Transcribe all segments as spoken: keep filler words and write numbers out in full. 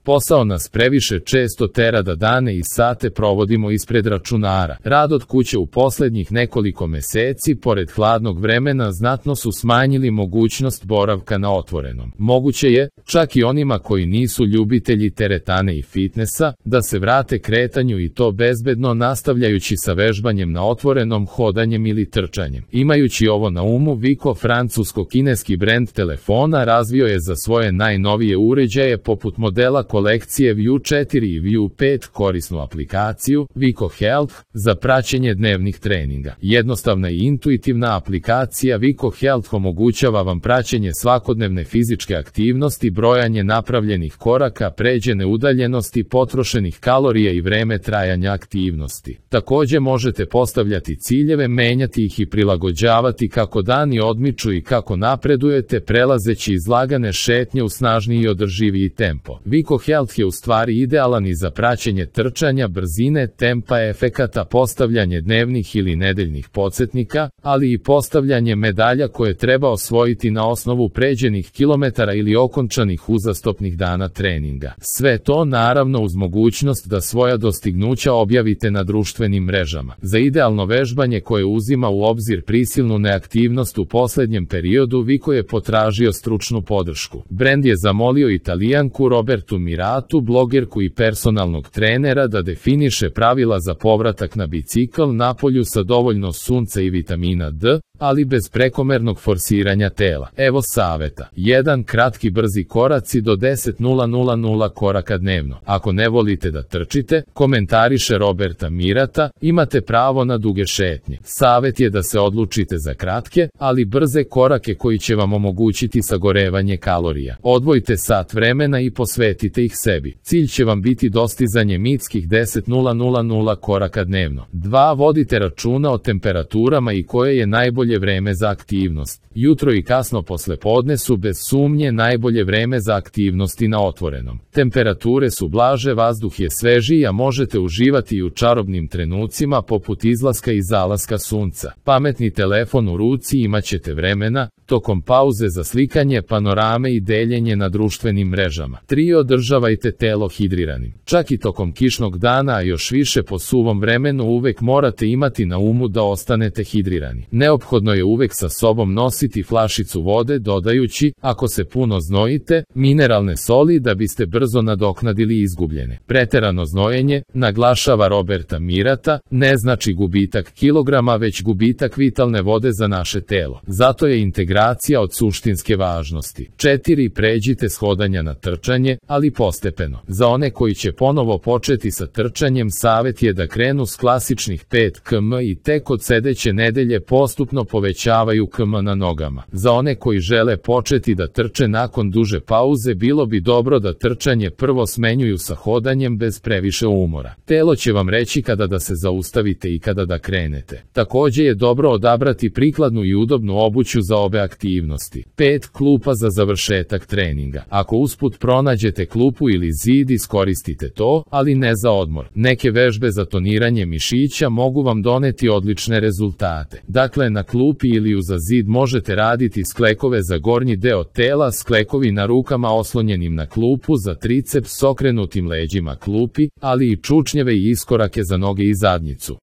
Posao nas previše često tera da dane i sate provodimo ispred računara. Rad od kuće u poslednjih nekoliko meseci, pored hladnog vremena, znatno su smanjili mogućnost boravka na otvorenom. Moguće je, čak i onima koji nisu ljubitelji teretane i fitnesa, da se vrate kretanju i to bezbedno nastavljajući sa vežbanjem na otvorenom, hodanjem ili trčanjem. Imajući ovo na umu, Vico, francusko-kineski brend telefona, razvio je za svoje najnovije uređaje poput modela kolekcije View četiri i View pet korisnu aplikaciju Vico Health za praćenje dnevnih treninga. Jednostavna i intuitivna aplikacija Vico Health omogućava vam praćenje svakodnevne fizičke aktivnosti, brojanje napravljenih koraka, pređene udaljenosti, potrošenih kalorija i vreme trajanja aktivnosti. Takođe možete postavljati ciljeve, menjati ih i prilagođavati kako dani odmiču i kako napredujete, prelazeći iz lagane šetnje u snažniji i održiviji tempo. Vico Health je u stvari idealan i za praćenje trčanja, brzine, tempa, efekata, postavljanje dnevnih ili nedeljnih podsjetnika, ali i postavljanje medalja koje treba osvojiti na osnovu pređenih kilometara ili okončanih uzastopnih dana treninga. Sve to naravno uz mogućnost da svoja dostignuća objavite na društvenim mrežama. Za idealno vežbanje koje uzima u obzir prisilnu neaktivnost u poslednjem periodu, Vico je potražio stručnu podršku. Brend je zamolio Italijanku Robertu Miratu, blogerku i personalnog trenera, da definiše pravila za povratak na bicikl na polju sa dovoljno sunca i vitamina D, ali bez prekomernog forsiranja tela. Evo saveta. jedan Kratki brzi koraci do deset hiljada koraka dnevno. Ako ne volite da trčite, komentariše Roberta Mirata, imate pravo na duge šetnje. Savet je da se odlučite za kratke, ali brze korake koji će vam omogućiti sagorevanje kalorija. Odvojite sat vremena i posvetite ih sebi. Cilj će vam biti dostizanje mitskih deset hiljada koraka dnevno. dva Vodite računa o temperaturama i koje je najbolje vreme za aktivnost. Jutro i kasno poslepodne su bez sumnje najbolje vreme za aktivnosti na otvorenom. Temperature su blaže, vazduh je svežiji, a možete uživati i u čarobnim trenucima poput izlaska i zalaska sunca. Pametni telefon u ruci, imaćete vremena, tokom pauze za slikanje, panorame i deljenje na društvenim mrežama. tri Održavajte telo hidriranim. Čak i tokom kišnog dana, a još više po suvom vremenu, uvek morate imati na umu da ostanete hidrirani. Neophodno je uvek sa sobom nositi flašicu vode, dodajući, ako se puno znojite, mineralne soli da biste brzo nadoknadili izgubljene. Preterano znojenje, naglašava Roberta Mirata, ne znači gubitak kilograma, već gubitak vitalne vode za naše telo. Zato je integracija od suštinske važnosti. četiri Pređite s hodanja na trčanje, ali postepeno. Za one koji će ponovo početi sa trčanjem, savet je da krenu s klasičnih pet kilometara i tek od sedeće nedelje postupno povećavaju kilometri na nogama. Za one koji žele početi da trče nakon duže pauze, bilo bi dobro da trčanje prvo smenjuju sa hodanjem bez previše umora. Telo će vam reći kada da se zaustavite i kada da krenete. Takođe je dobro odabrati prikladnu i udobnu obuću za obe aktivnosti. pet Klupa za završetak treninga. Ako usput pronađete klupu ili zid, iskoristite to, ali ne za odmor. Neke vežbe za toniranje mišića mogu vam doneti odlične rezultate. Dakle, na klupi ili uza zid možete raditi sklekove za gornji deo tela, sklekovi na rukama oslonjenim na klupu za triceps s okrenutim leđima klupi, ali i čučnjeve i iskorake za noge i zadnjicu.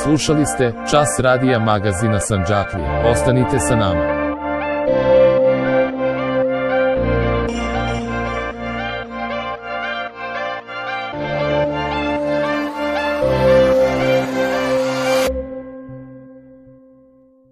Slušali ste Čas radija magazina Sandžaklija. Ostanite sa nama.